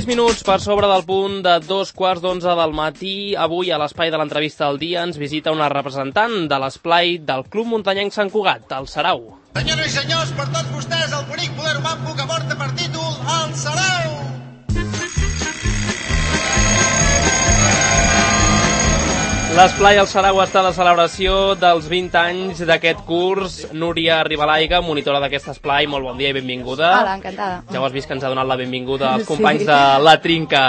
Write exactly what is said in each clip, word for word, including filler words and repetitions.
minuts per sobre del punt de dos quarts d'onze del matí. Avui, a l'espai de l'entrevista del dia, ens visita una representant de l'esplai del Club Muntanyenc Sant Cugat, el Sarau. Senyores i senyors, per tots vostès, el bonic poder mambo que porta per títol el Sarau! L'esplai El Sarau està de celebració dels vint anys d'aquest curs. Núria Ribalaiga, monitora d'aquest esplai, molt bon dia i benvinguda. Hola, encantada. Ja ho has vist que ens ha donat la benvinguda als companys sí. de La Trinca.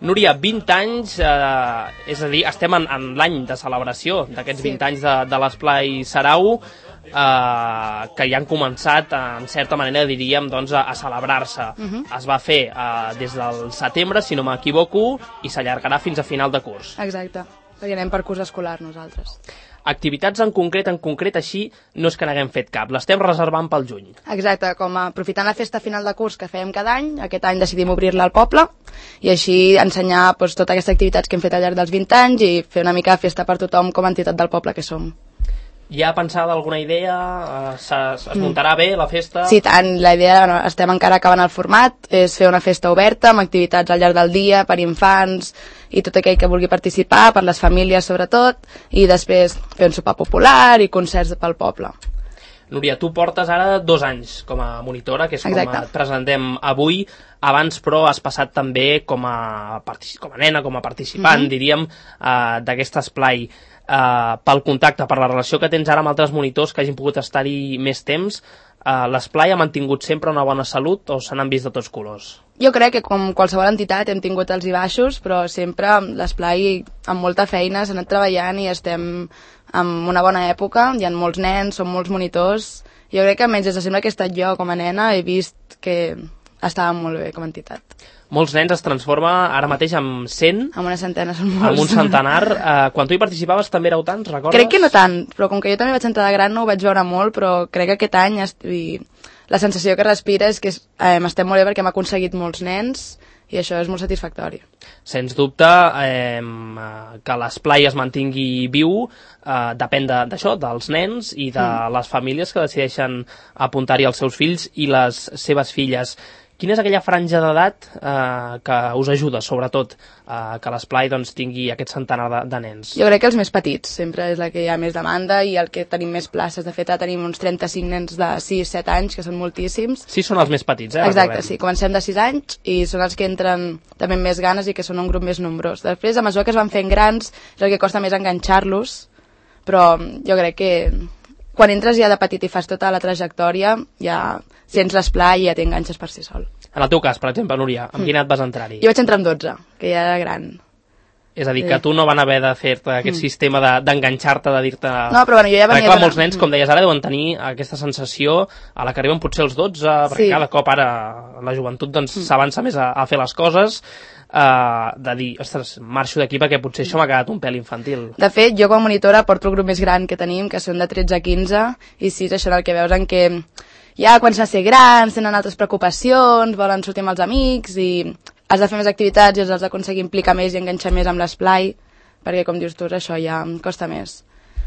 Núria, vint anys, eh, és a dir, estem en, en l'any de celebració d'aquests sí. vint anys de, de l'esplai Sarau, eh, que ja han començat, en certa manera, diríem, doncs, a, a celebrar-se. Uh -huh. Es va fer eh, des del setembre, si no m'equivoco, i s'allargarà fins a final de curs. Exacte. Perquè anem per curs escolar nosaltres. Activitats en concret, en concret així, no és que n'haguem fet cap, l'estem reservant pel juny. Exacte, com a, aprofitant la festa final de curs que fèiem cada any, aquest any decidim obrir-la al poble i així ensenyar doncs, totes aquestes activitats que hem fet al llarg dels vint anys i fer una mica de festa per tothom com a entitat del poble que som. Ja ha pensat alguna idea? Es, es muntarà mm. bé la festa? Sí, tant. La idea, bueno, estem encara acabant el format, és fer una festa oberta amb activitats al llarg del dia per infants i tot aquell que vulgui participar, per les famílies sobretot, i després fer un sopar popular i concerts pel poble. Núria, tu portes ara dos anys com a monitora, que és Exacte. com et presentem avui. Abans, però, has passat també com a, com a nena, com a participant, mm-hmm. diríem, uh, d'aquest esplai. Uh, pel contacte, per la relació que tens ara amb altres monitors que hagin pogut estar-hi més temps, uh, l'esplai ha mantingut sempre una bona salut o se n'han vist de tots colors? Jo crec que com qualsevol entitat hem tingut els i baixos, però sempre l'esplai amb molta feina s'ha anat treballant i estem en una bona època, hi ha molts nens, són molts monitors. Jo crec que almenys des de sempre que he estat jo com a nena he vist que estava molt bé com a entitat. Molts nens es transforma ara mateix en cent. Amb una centena són molts. Amb un centenar. Uh, quan tu hi participaves també éreu tants, recordes? Crec que no tant, però com que jo també vaig entrar de gran no ho vaig veure molt, però crec que aquest any i la sensació que respira és que eh, estem molt bé perquè hem aconseguit molts nens i això és molt satisfactori. Sens dubte, eh, que l'esplai es mantingui viu eh, depèn d'això, de, dels nens i de mm. les famílies que decideixen apuntar-hi els seus fills i les seves filles. Quina és aquella franja d'edat eh, que us ajuda, sobretot, eh, que l'esplai doncs, tingui aquest centenar de, de nens? Jo crec que els més petits, sempre és la que hi ha més demanda i el que tenim més places. De fet, tenim uns trenta-cinc nens de sis set anys, que són moltíssims. Sí, són els més petits, eh? Exacte, sí. Comencem de sis anys i són els que entren també amb més ganes i que són un grup més nombrós. Després, a mesura que es van fent grans, és el que costa més enganxar-los, però jo crec que quan entres ja de petit i fas tota la trajectòria, ja sents l'esplai i ja t'enganxes per si sol. En el teu cas, per exemple, Núria, amb mm. quina edat vas entrar-hi? Jo vaig entrar amb dotze, que ja era gran. És a dir, que tu no van haver de fer-te aquest mm. sistema d'enganxar-te, de, de dir-te... No, però bueno, jo ja venia... Clar, molts nens, com deies ara, deuen tenir aquesta sensació a la que arriben potser els dotze, perquè sí. cada cop ara la joventut doncs, mm. s'avança més a, a fer les coses, Uh, de dir, ostres, marxo d'aquí perquè potser això m'ha quedat un pèl infantil. De fet, jo com a monitora porto el grup més gran que tenim, que són de tretze a quinze, i sí, és això el que veus en què ja quan s'ha de ser grans, tenen altres preocupacions, volen sortir amb els amics, i has de fer més activitats i els has d'aconseguir implicar més i enganxar més amb l'esplai, perquè com dius tu, això ja costa més.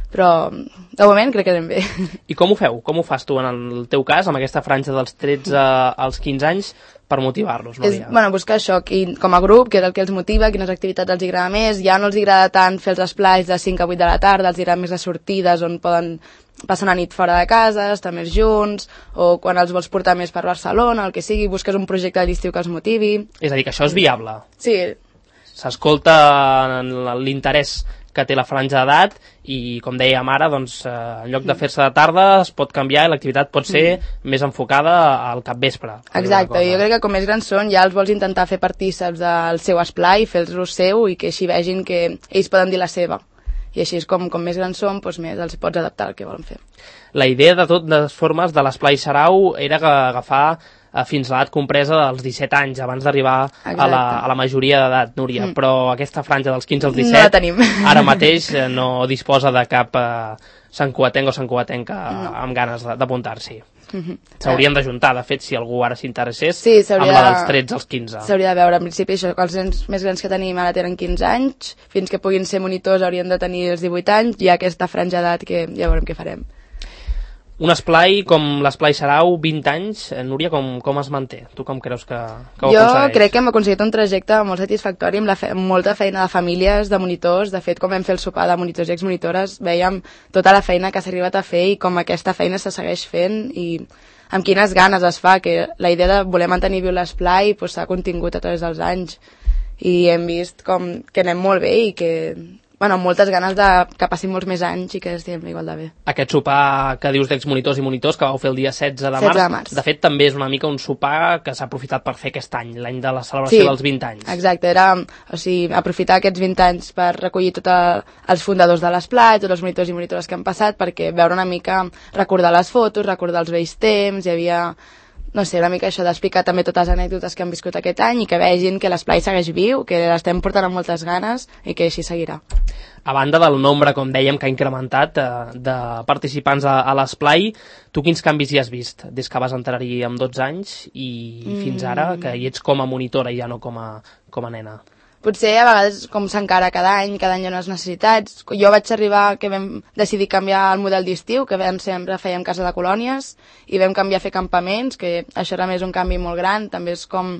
Però, de moment, crec que anem bé. I com ho feu? Com ho fas tu, en el teu cas, amb aquesta franja dels tretze als quinze anys, per motivar-los, Núria? És, bueno, buscar això, qui, com a grup, què és el que els motiva, quines activitats els agrada més. Ja no els agrada tant fer els esplais de cinc a vuit de la tarda, els agrada més les sortides on poden passar una nit fora de casa, estar més junts, o quan els vols portar més per Barcelona, el que sigui, busques un projecte de l'estiu que els motivi. És a dir, que això és viable. Sí. S'escolta l'interès que té la franja d'edat i, com dèiem ara, doncs, eh, en lloc de fer-se de tarda es pot canviar i l'activitat pot ser mm. més enfocada al capvespre. Exacte, jo crec que com més grans són ja els vols intentar fer partíceps del seu esplai, fer-los seu i que així vegin que ells poden dir la seva. I així és com, com més grans són, doncs més els pots adaptar al que volen fer. La idea de totes formes de l'esplai Sarau era agafar fins a l'edat compresa dels disset anys, abans d'arribar a, la, a la majoria d'edat, Núria. Mm. Però aquesta franja dels quinze als disset, no la tenim. Ara mateix no disposa de cap eh, santcugatenc o santcugatenca no. amb ganes d'apuntar-s'hi. Mm-hmm. S'haurien d'ajuntar, de fet, si algú ara s'interessés, sí, amb la dels tretze als quinze. S'hauria de veure, en principi, això, que els nens més grans que tenim ara tenen quinze anys, fins que puguin ser monitors haurien de tenir els divuit anys, i hi ha aquesta franja d'edat que ja veurem què farem. Un esplai com l'esplai Sarau, vint anys, Núria, com, com es manté? Tu com creus que, que ho jo aconsegueix? crec que hem aconseguit un trajecte molt satisfactori amb, la fe amb molta feina de famílies, de monitors. De fet, com vam fer el sopar de monitors i exmonitores, veiem tota la feina que s'ha arribat a fer i com aquesta feina se segueix fent i amb quines ganes es fa, que la idea de voler mantenir viu l'esplai pues, s'ha contingut a través dels anys i hem vist com que anem molt bé i que... Bueno, amb moltes ganes de que passin molts més anys i que estiguem igual de bé. Aquest sopar que dius d'exmonitors i monitors que vau fer el dia setze de març, setze de març. De fet també és una mica un sopar que s'ha aprofitat per fer aquest any, l'any de la celebració sí, dels vint anys. Exacte, era o sigui, aprofitar aquests vint anys per recollir tots els fundadors de l'esplai, tots els monitors i monitores que han passat, perquè veure una mica, recordar les fotos, recordar els vells temps, hi havia... no sé, una mica això d'explicar també totes les anècdotes que han viscut aquest any i que vegin que l'esplai segueix viu, que l'estem portant amb moltes ganes i que així seguirà. A banda del nombre, com dèiem, que ha incrementat eh, de participants a, a l'esplai, tu quins canvis hi has vist des que vas entrar-hi amb dotze anys i mm. fins ara, que hi ets com a monitora i ja no com a, com a nena? Potser a vegades com s'encara cada any, cada any hi ha unes necessitats. Jo vaig arribar que vam decidir canviar el model d'estiu, que vam sempre fèiem casa de colònies, i vam canviar a fer campaments, que això era més un canvi molt gran, també és com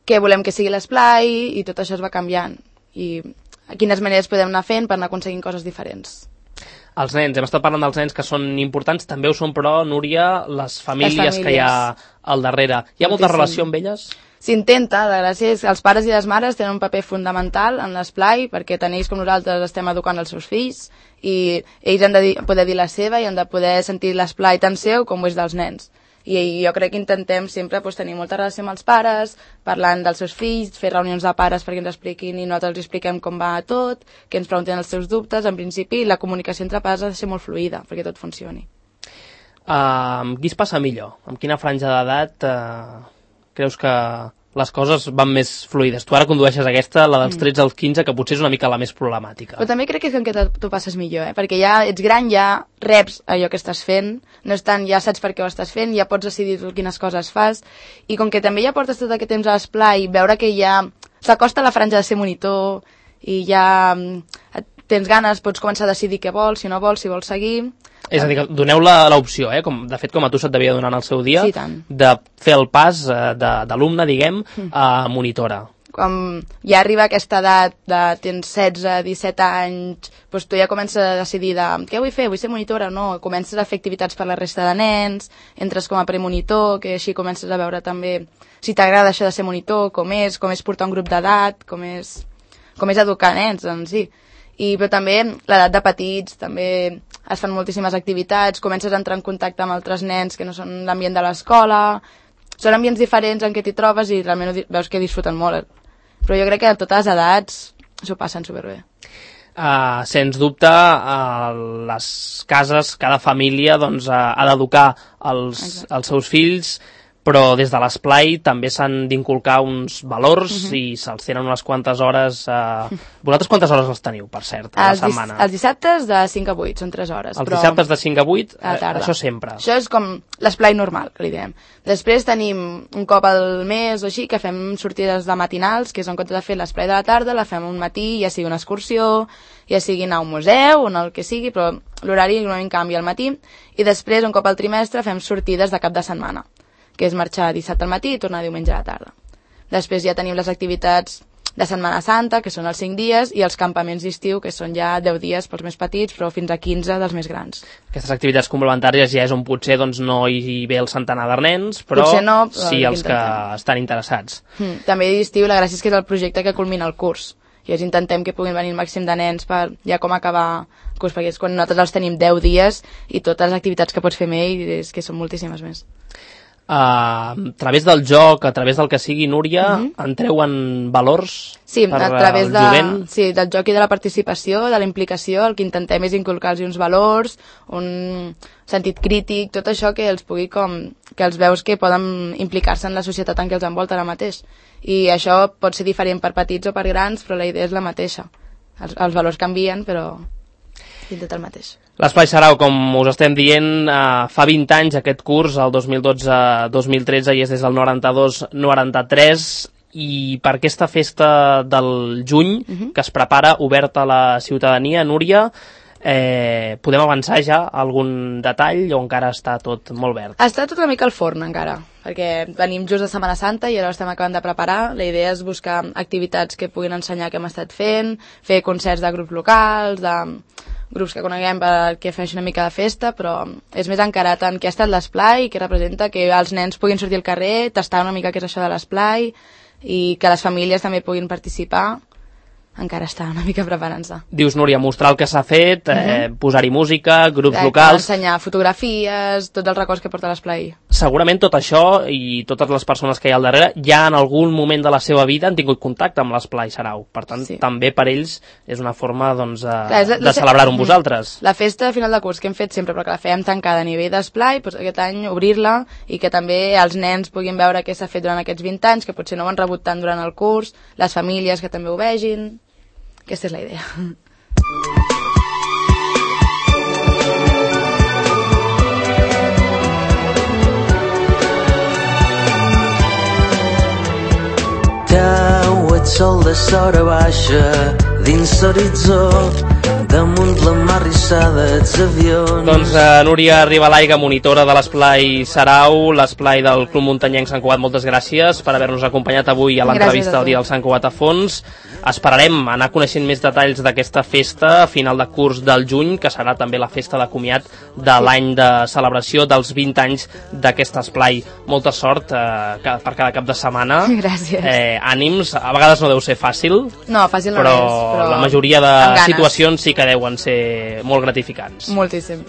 què volem que sigui l'esplai, i tot això es va canviant. I quines maneres podem anar fent per anar aconseguint coses diferents. Els nens, hem estat parlant dels nens que són importants, també ho són però, Núria, les famílies, les famílies. que hi ha al darrere. Hi ha molta relació amb elles? S'intenta, la gràcia és que els pares i les mares tenen un paper fundamental en l'esplai perquè tant ells com nosaltres estem educant els seus fills i ells han de dir, poder dir la seva i han de poder sentir l'esplai tan seu com ho és dels nens. I jo crec que intentem sempre pues, tenir molta relació amb els pares, parlant dels seus fills, fer reunions de pares perquè ens expliquin i nosaltres els expliquem com va tot, que ens preguntin els seus dubtes. En principi, la comunicació entre pares ha de ser molt fluida perquè tot funcioni. Uh, amb qui es passa millor? Amb quina franja d'edat uh, creus que les coses van més fluides? Tu ara condueixes aquesta, la dels tretze als quinze, que potser és una mica la més problemàtica. Però també crec que és que tu passes millor, eh? Perquè ja ets gran, ja reps allò que estàs fent, no és tant, ja saps per què ho estàs fent, ja pots decidir quines coses fas, i com que també ja portes tot aquest temps a l'esplai, veure que ja s'acosta la franja de ser monitor, i ja tens ganes, pots començar a decidir què vols, si no vols, si vols seguir... És a dir, que doneu l'opció, eh? Com, de fet, com a tu se't devia donar en el seu dia, sí, tant. De fer el pas eh, d'alumne, diguem, a monitora. Quan ja arriba aquesta edat de tens setze, disset anys, doncs tu ja comences a decidir de què vull fer, vull ser monitora o no, comences a fer activitats per la resta de nens, entres com a premonitor, que així comences a veure també si t'agrada això de ser monitor, com és, com és portar un grup d'edat, com és, com és educar nens en si. I, però també l'edat de petits, també es fan moltíssimes activitats, comences a entrar en contacte amb altres nens que no són l'ambient de l'escola, són ambients diferents en què t'hi trobes i realment veus que disfruten molt. Però jo crec que a totes les edats s'ho passen superbé. Uh, sens dubte, uh, les cases, cada família doncs, uh, ha d'educar els, els seus fills, però des de l'esplai també s'han d'inculcar uns valors uh-huh. i se'ls tenen unes quantes hores... Eh... Vosaltres quantes hores els teniu, per cert, a la setmana? Els dissabtes de cinc a vuit, són tres hores. Els però... dissabtes de cinc a vuit, a eh, això sempre. Això és com l'esplai normal, que li diem. Després tenim un cop al mes o així que fem sortides de matinals, que és en compte de fer l'esplai de la tarda, la fem un matí, ja sigui una excursió, ja sigui anar a un museu, o el que sigui, però l'horari normalment canvia al matí, i després, un cop al trimestre, fem sortides de cap de setmana, que és marxar dissabte al matí i tornar diumenge a la tarda. Després ja tenim les activitats de Setmana Santa, que són els cinc dies, i els campaments d'estiu, que són ja deu dies pels més petits, però fins a quinze dels més grans. Aquestes activitats complementàries ja és on potser doncs, no hi ve el centenar de nens, però, no, però sí els que estan interessats. Mm, també d'estiu la gràcia és que és el projecte que culmina el curs. I ens intentem que puguin venir el màxim de nens per ja com acabar el curs, perquè és quan nosaltres els tenim deu dies i totes les activitats que pots fer amb ell és que són moltíssimes més. Uh, a través del joc, a través del que sigui, Núria, uh-huh. entreu en valors sí, per a través el de, jovent? Sí, del joc i de la participació, de la implicació, el que intentem és inculcar-los uns valors, un sentit crític, tot això que els pugui com, que els veus que poden implicar-se en la societat en què els envolta ara mateix. I això pot ser diferent per petits o per grans, però la idea és la mateixa. Els, els valors canvien, però és el mateix. L'Esplai Sarau, com us estem dient, eh, fa vint anys aquest curs, el dos mil dotze dos mil tretze, i és des del noranta-dos noranta-tres, i per aquesta festa del juny, uh-huh. que es prepara oberta a la ciutadania, Núria, Eh, podem avançar ja algun detall o encara està tot molt verd? Està tot una mica al forn encara, perquè venim just de Setmana Santa i ara estem acabant de preparar. La idea és buscar activitats que puguin ensenyar què hem estat fent, fer concerts de grups locals, de grups que coneguem perquè fes una mica de festa, però és més encarat en què ha estat l'esplai, què representa, que els nens puguin sortir al carrer, tastar una mica què és això de l'esplai i que les famílies també puguin participar. Encara està una mica preparant-se. Dius, Núria, mostrar el que s'ha fet, eh, uh-huh. posar-hi música, grups Exacte, locals... ensenyar fotografies, tots els records que porta l'esplai. Segurament tot això i totes les persones que hi ha al darrere ja en algun moment de la seva vida han tingut contacte amb l'esplai Sarau. Per tant, sí. també per ells és una forma doncs, de, Clar, la, de celebrar-ho amb vosaltres. La festa a final de curs que hem fet sempre, però que la fèiem tancada a nivell d'esplai, doncs aquest any obrir-la i que també els nens puguin veure què s'ha fet durant aquests vint anys, que potser no ho han rebut tant durant el curs, les famílies que també ho vegin... Aquesta és la idea. Teu, ets sol de sora baixa dins l'horitzó, damunt la mar rissada ets avions. Doncs uh, Núria Ribalaiga, monitora de l'esplai Sarau, l'esplai del Club Muntanyenc Sant Cugat, moltes gràcies per haver-nos acompanyat avui a l'entrevista del dia del Sant Cugat a fons. Esperarem anar coneixent més detalls d'aquesta festa a final de curs del juny, que serà també la festa de comiat de l'any de celebració dels vint anys d'aquest esplai. Molta sort eh, per cada cap de setmana. Gràcies. Eh, ànims, a vegades no deu ser fàcil, no, fàcil no però, és, però la majoria de situacions sí que deuen ser molt gratificants. Moltíssim.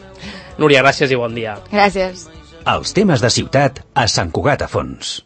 Núria, gràcies i bon dia. Gràcies. Els temes de ciutat a Sant Cugat a Fons.